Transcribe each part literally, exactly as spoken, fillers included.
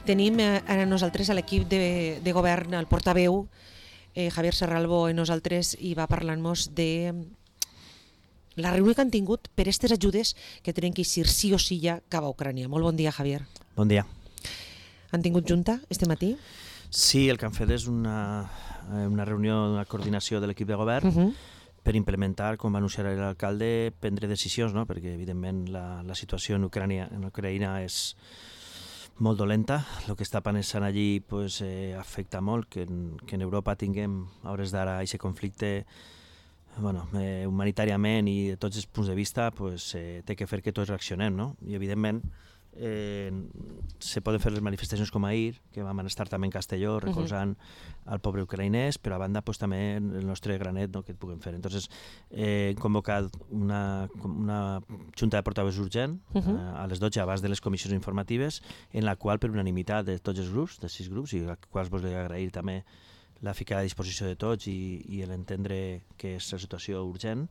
Tenim eh, a nosaltres a l'equip de, de govern, el portaveu, eh, Javier Serralbo, i nosaltres, i va parlant-nos de la reunió que han tingut per aquestes ajudes que tenen que eixir sí o sí ja cap a Ucrània. Molt bon dia, Javier. Bon dia. Han tingut junta este matí? Sí, el que han fet és una, una reunió, una coordinació de l'equip de govern uh-huh. per implementar, com va anunciar l'alcalde, prendre decisions, no? Perquè evidentment la, la situació en Ucrània, en Ucraïna és molt dolenta. El que està passant allí pues, eh, afecta molt que en, que en Europa tinguem a hores d'ara aquest conflicte bueno, eh, humanitàriament i de tots els punts de vista pues, eh, té que fer que tots reaccionem, no? I evidentment eh, se poden fer les manifestacions com ahir, que vam estar també en Castelló recolzant uh-huh. al poble ucraïnès, però a banda pues, també el nostre granet no, que et puguem fer. Entonces eh, hem convocat una, una junta de portaveus urgent uh-huh. eh, a les dotze abans de les comissions informatives, en la qual per unanimitat de tots els grups, de sis grups, i als quals vos vull agrair també la ficada a disposició de tots i, i l'entendre que és la situació urgent,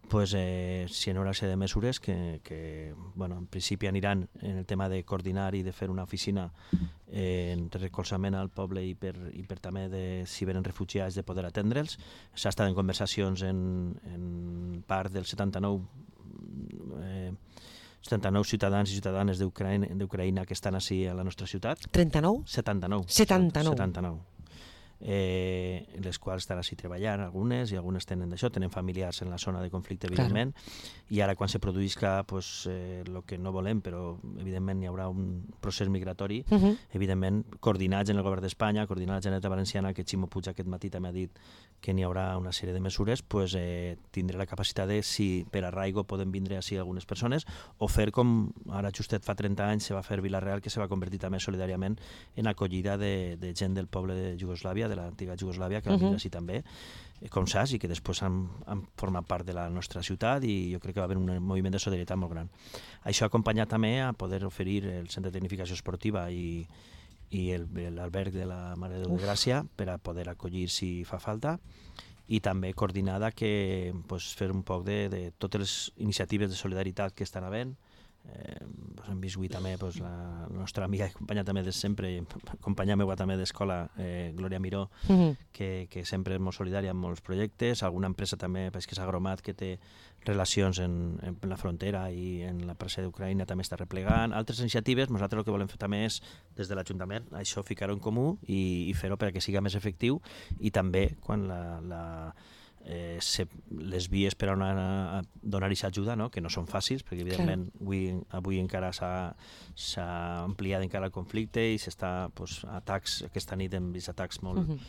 pues, eh, si hi haurà de mesures que, que bueno, en principi aniran en el tema de coordinar i de fer una oficina eh, de recolzament al poble i per, i per també de, si venen refugiats de poder atendre'ls. S'ha estat en conversacions en, en part dels setanta-nou eh, setanta-nou ciutadans i ciutadanes d'Ucraïna, d'Ucraïna que estan així a la nostra ciutat. trenta-nou? setanta-nou. setanta-nou. setanta-nou. Eh, les quals estan així treballant, algunes, i algunes tenen d'això, tenen familiars en la zona de conflicte, evidentment, claro. I ara quan se produïsca pues, eh, el que no volem, però evidentment hi haurà un procés migratori, uh-huh. evidentment coordinats en el govern d'Espanya, coordinats a la Generalitat Valenciana, que Ximo Puig aquest matí també ha dit que n'hi haurà una sèrie de mesures, pues, eh, tindré la capacitat de, si per arraigo poden vindre així algunes persones, o fer com ara justet fa trenta anys se va fer Vila-real, que se va convertir també solidàriament en acollida de, de gent del poble de Iugoslàvia, de l'antiga Iugoslàvia, que van uh-huh. vindre així també, com saps, i que després han, han format part de la nostra ciutat, i jo crec que va haver un moviment de solidaritat molt gran. Això ha acompanyat també a poder oferir el centre de tecnificació esportiva i, i l'alberg de la Mare de Déu de Gràcia per a poder acollir si fa falta, i també coordinada que pues, fer un poc de, de totes les iniciatives de solidaritat que estan havent. Eh, pues hem vist avui també pues, la, la nostra amiga i companya també de sempre, companya meva també d'escola, eh, Glòria Miró, uh-huh. que, que sempre és molt solidària amb molts projectes, alguna empresa també que s'ha agromat que té relacions en, en la frontera i en la presa d'Ucraïna també està replegant. Altres iniciatives, nosaltres el que volem fer també és, des de l'Ajuntament, això ficar-ho en comú i, i fer-ho perquè siga més efectiu, i també quan la, la Eh, se, les vies per a, una, a donar-hi ajuda, no? Que no són fàcils, perquè evidentment claro. avui, avui encara s'ha ampliat encara el conflicte i s'està pues, atacs, aquesta nit hem vist atacs molt, uh-huh.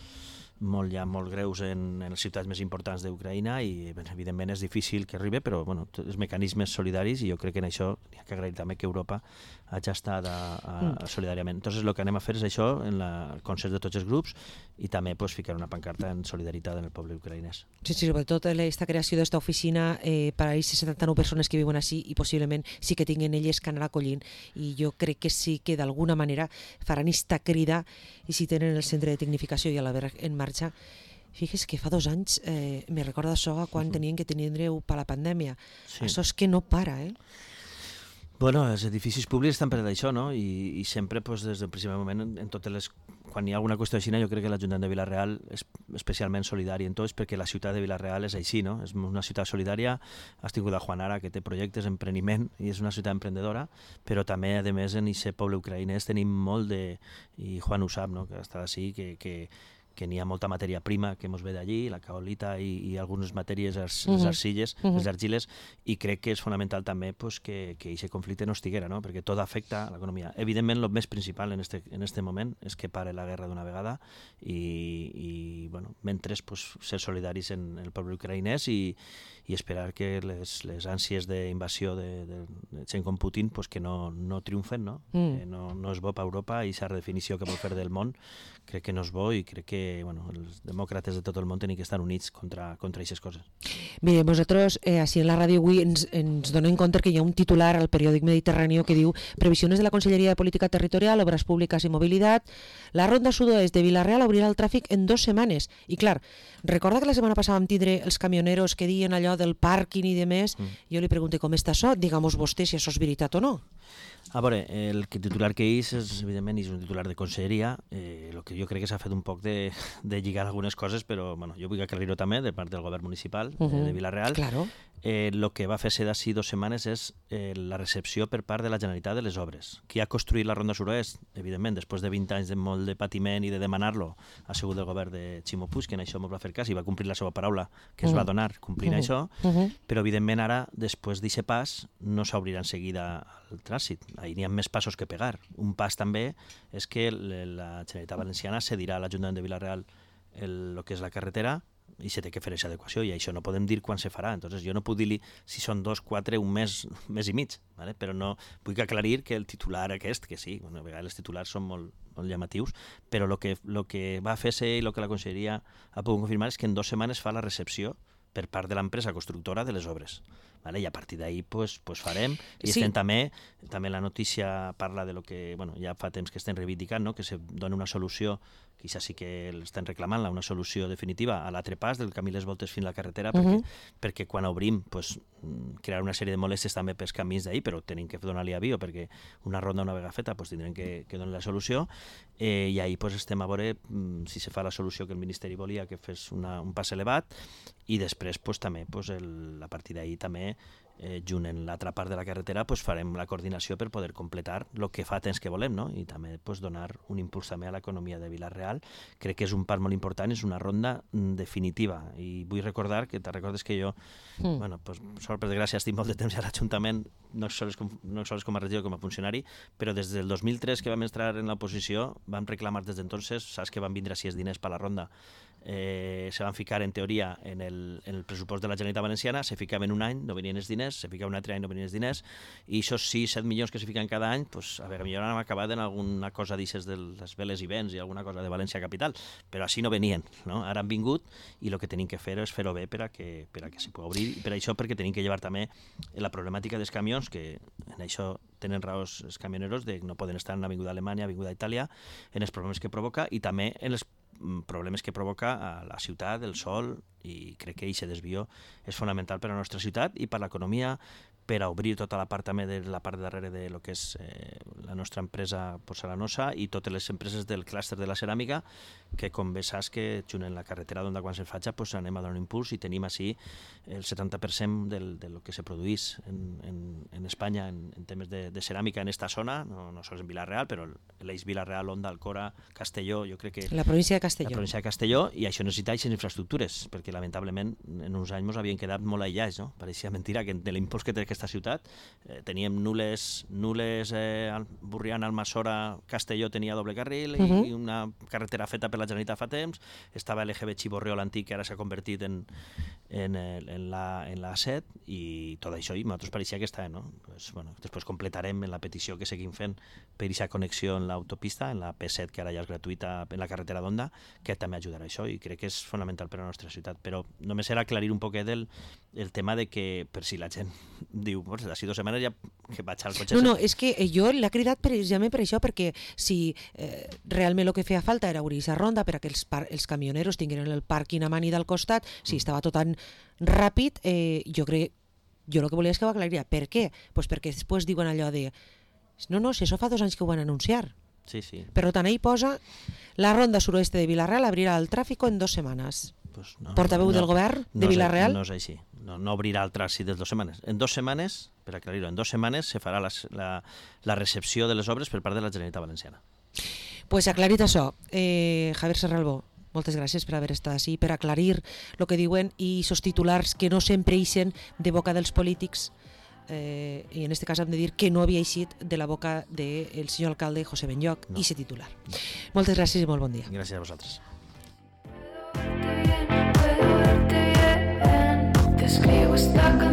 molt, ja, molt greus en, en les ciutats més importants d'Ucraïna, i evidentment és difícil que arribi, però bueno, els mecanismes solidaris, i jo crec que en això hi ha que agrair també que Europa hagi estat a, a, a solidàriament. Entonces el que anem a fer és això, en la, el consens de tots els grups, i també pues, ficar una pancarta en solidaritat en el poble ucraïnès. Sí, sí, sobretot aquesta creació d'esta oficina eh, per a aquestes setanta-nou persones que viuen així, i possiblement sí que tinguin elles que anar acollint, i jo crec que sí que d'alguna manera faran esta crida, i si tenen el centre de tecnificació i a l'alberg en marxa. Fixes que fa dos anys eh, me recorda això quan uh-huh. tenien que tindre-ho per la pandèmia. Sí. Això és que no para, eh? Bueno, els edificis públics estan per d'això, no? I, i sempre, pues, des del primer moment, en, en totes les... quan hi ha alguna qüestió així, jo crec que l'Ajuntament de Vila-real és especialment solidari en tots, perquè la ciutat de Vila-real és així, no? És una ciutat solidària. Has tingut a Juan Ara, que té projectes, empreniment, i és una ciutat emprendedora, però també, a més, en aquest poble ucraïnès tenim molt de... i Juan ho sap, no? Que està així, que... que que n'hi ha molta matèria prima que ens ve d'allí, la caolita i, i algunes matèries, les uh-huh. arcilles, uh-huh. les argiles, i crec que és fonamental també pues, que aquest conflicte no estiguera, no? Perquè tot afecta a l'economia. Evidentment, el més principal en este, en este moment és que pare la guerra d'una vegada, i, i bueno, mentre pues, ser solidaris en el poble ucraïnès i, i esperar que les, les ànsies d'invasió de, de, de gent com Putin pues, que no, no triomfen, no? Mm. Que no, no és bo per Europa, i aquesta redefinició que vol fer del món crec que no és bo, i crec que que bueno, els demòcrates de tot el món tenen que estar units contra contra aquestes coses. Bé, nosaltres eh, així en la ràdio avui ens, ens donem compte que hi ha un titular al periòdic Mediterráneo que diu previsiones de la Conselleria de Política Territorial, Obras Públicas y Movilidad, la ronda sud-oest de Vila-real obrirà el tràfic en dos setmanes. I clar, recorda que la setmana passada vam tindre els camioneros que diuen allò del pàrquing i de més, mm. jo li pregunto com està això, digamos vostè si això és veritat o no. A veure, el titular que és, és evidentment, és un titular de conselleria, eh, el que jo crec que s'ha fet un poc de, de lligar algunes coses, però bueno, jo vull aclarir-ho també de part del govern municipal uh -huh. eh, de Vila-real. Claro. Eh, el que va fer-se d'ací dues setmanes és eh, la recepció per part de la Generalitat de les obres. Qui ha construït la Ronda Sud-oest, evidentment, després de vint anys de molt de patiment i de demanar-lo, ha sigut el govern de Ximo Puig, que en això ens va fer cas i va complir la seva paraula, que es uh -huh. va donar complint uh -huh. això, uh -huh. però evidentment ara, després d'aquest pas, no s'obrirà en seguida el trànsit. Ahir n'hi ha més passos que pegar. Un pas també és que la Generalitat Valenciana cedirà a l'Ajuntament de Vila-real el, el que és la carretera i se té que fer aquesta adequació, i això no podem dir quan se farà. Entonces, jo no puc dir si són dos, quatre, un mes, un mes i mig, ¿vale? Però no vull aclarir que el titular aquest, que sí, bueno, a vegades els titulars són molt, molt llamatius, però el que, lo que va fer-se i el que la Conselleria ha pogut confirmar és que en dues setmanes fa la recepció per part de l'empresa constructora de les obres. Vale? I a partir d'ahir pues, pues farem. I sí. estem també, també la notícia parla de lo que bueno, ja fa temps que estem reivindicant, no? Que se dona una solució, que ja sí que l'estem reclamant, una solució definitiva a l'altre pas del camí Les Voltes fins a la carretera, uh -huh. perquè, perquè quan obrim pues, crear una sèrie de molèsties també pels camins d'ahir, però tenim que donar-li avio, perquè una ronda una vegada feta pues, tindrem que, que donar la solució, eh, i ahir pues, estem a veure mm, si se fa la solució que el Ministeri volia, que fes una, un pas elevat, i després pues, també pues, el, a partir d'ahir també eh, junt en l'altra part de la carretera pues, farem la coordinació per poder completar el que fa temps que volem, no? I també pues, donar un impuls també a l'economia de Vila-real. Crec que és un pas molt important, és una ronda definitiva, i vull recordar que te recordes que jo mm. bueno, pues, sort per desgràcia estic molt de temps a l'Ajuntament, no sols com, no sols com a regidor com a funcionari, però des del dos mil tres que vam entrar en l'oposició vam reclamar des d'entonces, saps que van vindre sis diners per la ronda, eh, se van ficar en teoria en el, en el pressupost de la Generalitat Valenciana, se ficaven un any, no venien els diners, se ficava un altre any, no venien els diners, i aquests sis set milions que se fiquen cada any, pues, a veure, millor han acabat en alguna cosa d'aixes de les veles i vents i alguna cosa de València Capital, però així no venien, no? Ara han vingut i el que tenim que fer és fer-ho bé per a que, per a que s'hi pugui obrir, i per això perquè tenim que llevar també la problemàtica dels camions, que en això tenen raons els camioneros de no poden estar en l'Avinguda Alemanya, Avinguda Itàlia, en els problemes que provoca i també en els problemes que provoca a la ciutat, el sol, i crec que aquest desvió és fonamental per a la nostra ciutat i per a l'economia, per a obrir tota la part també de la part darrere de lo que és eh, la nostra empresa porcelanosa i totes les empreses del clúster de la ceràmica, que com bé saps que junt en la carretera d'Onda quan se faig pues, anem a donar un impuls i tenim així el setanta per cent del, de lo que se produís en, en, en Espanya en, en temes de, de ceràmica en esta zona, no, no sols en Vila-real, però l'eix Vila-real, Onda, Alcora, Castelló, jo crec que... La província de Castelló. La província de Castelló, i això necessita aquestes infraestructures, perquè lamentablement en uns anys ens havien quedat molt aïllats, no? Pareixia mentira que de l'impuls que té aquesta ciutat eh, teníem nules, nules eh, Burriana, Almassora, Castelló tenia doble carril, uh -huh. i una carretera feta per la Generalitat fa temps, estava l'E G B Xiborriol antic, que ara s'ha convertit en, en, en, la, en la set, i tot això, i a nosaltres pareixia que està, no? Pues, bueno, després completarem en la petició que seguim fent per aquesta connexió en l'autopista, en la P set, que ara ja és gratuïta en la carretera d'Onda, que també ajudarà a això, i crec que és fonamental per a la nostra ciutat. Però només era aclarir un poquet el, el tema de que, per si la gent diu, pues, d'ací dues setmanes ja que vaig al cotxe... No, no, és que jo l'he cridat precisament per això, perquè si eh, realment el que feia falta era obrir aquesta ronda per a que els, par els camioneros tinguin el pàrquing a mani del costat, si estava tot tan ràpid, eh, jo crec, jo el que volia és que ho aclariria. Per què? Pues perquè després diuen allò de no, no, si això fa dos anys que ho van anunciar. Sí, sí. Per tant, ahí posa la ronda suroeste de Vila-real abrirà el tràfic en dos setmanes. Pues no, Portaveu no, del govern de no Vila-real? No és així. No, no obrirà el trànsit de dues setmanes. En dues setmanes, per aclarir-ho, en dues setmanes se farà la, la, la recepció de les obres per part de la Generalitat Valenciana. Pues aclarit això. Eh, Javier Serralbó, moltes gràcies per haver estat així, per aclarir el que diuen i aquests titulars que no sempre ixen de boca dels polítics, eh, i en aquest cas hem de dir que no havia eixit de la boca del senyor alcalde José Benlloch, no. I aquest titular. No. Moltes gràcies i molt bon dia. Gràcies a vosaltres. Escribo esta canción.